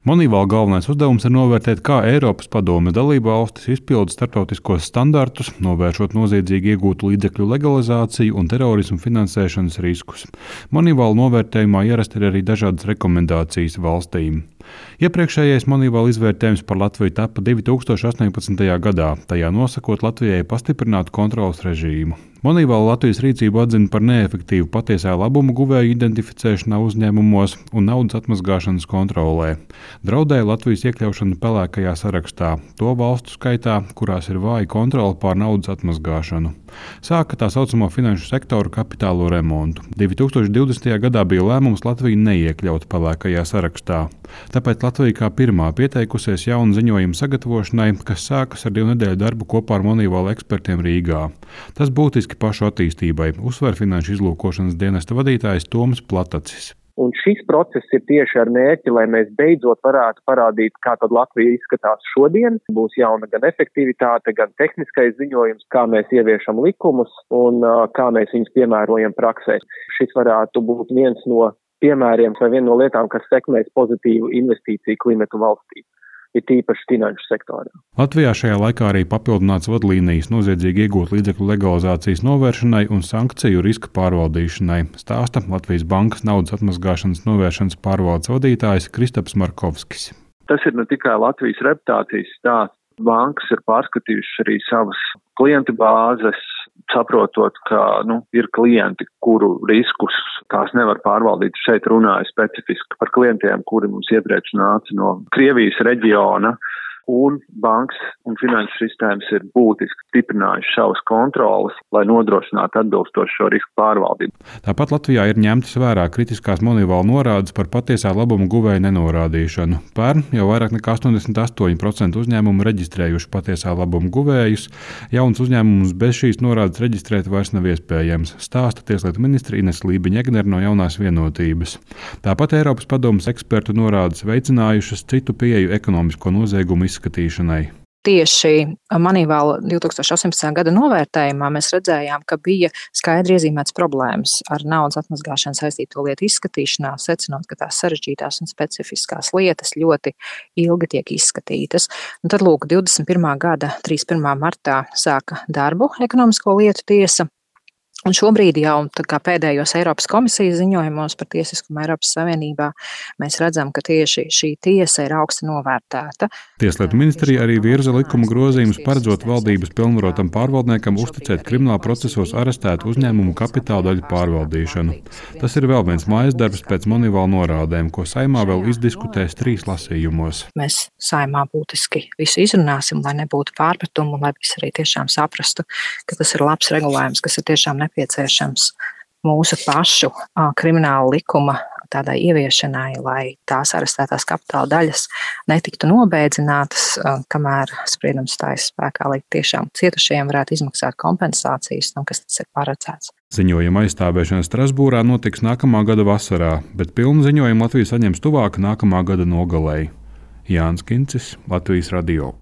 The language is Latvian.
Moneyval galvenais uzdevums ir novērtēt, kā Eiropas Padomes dalībvalstis izpilda starptautiskos standartus, novēršot noziedzīgi iegūtu līdzekļu legalizāciju un terorismu finansēšanas riskus. Moneyval novērtējumā ierasti ir arī dažādas rekomendācijas valstīm. Iepriekšējais Moneyval izvērtējums par Latviju tapa 2018. gadā, tajā nosakot Latvijai pastiprinātu kontroles režīmu. Moneyval Latvijas rīcību atzina par neefektīvu patiesā labuma guvēju identificēšanā uzņēmumos un naudas atmazgāšanas kontrolē. Draudēja Latvijas iekļaušana pelēkajā sarakstā, to valstu skaitā, kurās ir vāja kontrole pār naudas atmazgāšanu. Sāka tā saucamo finanšu sektoru kapitālo remontu. 2020. gadā bija lēmums Latviju neiekļaut pelēkajā sarakstā. Tāpēc Latvija kā pirmā pieteikusies jaunu ziņojumu sagatavošanai, kas sākas ar 2 nedēļu darbu kopā ar Moneyval ekspertiem Rīgā. Tas būtiski pašu attīstībai, uzsver finanšu izlūkošanas dienesta vadītājs Toms Platacis. Un šis process ir tieši ar mērķi, lai mēs beidzot varētu parādīt, kā tad Latvija izskatās šodien. Būs jauna gan efektivitāte, gan tehniskais ziņojums, kā mēs ieviešam likumus un kā mēs viņus piemērojam praksē. Šis varētu būt viens no piemēriem vai viena no lietām, kas sekmēs pozitīvu investīciju klimatu valstī. Ir tīpaši finanšu sektorā. Latvijā šajā laikā arī papildināts vadlīnijas noziedzīgi iegūt līdzekļu legalizācijas novēršanai un sankciju riska pārvaldīšanai, stāsta Latvijas Bankas naudas atmazgāšanas novēršanas pārvaldes vadītājs Kristaps Markovskis. Tas ir ne tikai Latvijas reputācijas stāsts. Bankas ir pārskatījušas arī savas klientu bāzes, saprotot, ka ir klienti, kuru riskus tās nevar pārvaldīt. Šeit runāju specifiski par klientiem, kuri mums iepriekš nāca no Krievijas reģiona, un bankas un finanšu sistēmas ir būtiski stiprinājuši savas kontrolas, lai nodrošinātu atbilstošu šo risku pārvaldību. Tāpat Latvijā ir ņemtas vērā kritiskās Moneyval norādes par patiesā labuma guvēja nenorādīšanu. Pērn jau vairāk nekā 88% uzņēmumu reģistrējuši patiesā labuma guvējus. Jauns uzņēmums bez šīs norādes reģistrēt vairs nav iespējams, stāsta Tieslietu ministre Ines Lībiņa-Egnere no Jaunās vienotības. Tāpat Eiropas Padomes ekspertu norādes veicinājušas citu pieeju ekonomisko noziegumu izskatīšanai. Tieši Moneyval 2018. gada novērtējumā mēs redzējām, ka bija skaidri iezīmēts problēmas ar naudas atmazgāšanu saistīto lietu izskatīšanā, secinot, ka tās sarežģītās un specifiskās lietas ļoti ilgi tiek izskatītas. Un tad, 21. gada 31. martā sāka darbu ekonomisko lietu tiesa. Un šobrīd jau pēdējos Eiropas komisijas ziņojumos par tiesiskumu Eiropas Savienībā mēs redzam, ka tieši šī tiesa ir augsti novērtēta. Tieslietu ministrija arī virza likuma grozījumus, paredzot valdības pilnvarotam pārvaldniekam uzticēt krimināla procesos arestētu uzņēmumu kapitāla daļu pārvaldīšanu. Tas ir vēl viens mājas darbs pēc Moneyval norādēm, ko Saeimā vēl izdiskutēs 3 lasījumos. Mēs Saeimā būtiski visu izrunāsim, lai nebūtu pārpratumu, lai visi arī tiešām saprastu, ka tas ir labs regulējums, kas ir tiešām nepieciešams mūsu pašu krimināla likuma tādai ieviešanai, lai tās arestētās kapitāla daļas netiktu nobēdzinātas, kamēr spriedums stājas spēkā, lai tiešām cietušajiem varētu izmaksāt kompensācijas, kas tas ir paredzēts. Ziņojuma aizstāvēšana Strasbūrā notiks nākamā gada vasarā, bet pilnu ziņojumu Latvija saņems tuvāk nākamā gada nogalei. Jānis Kincis, Latvijas radio.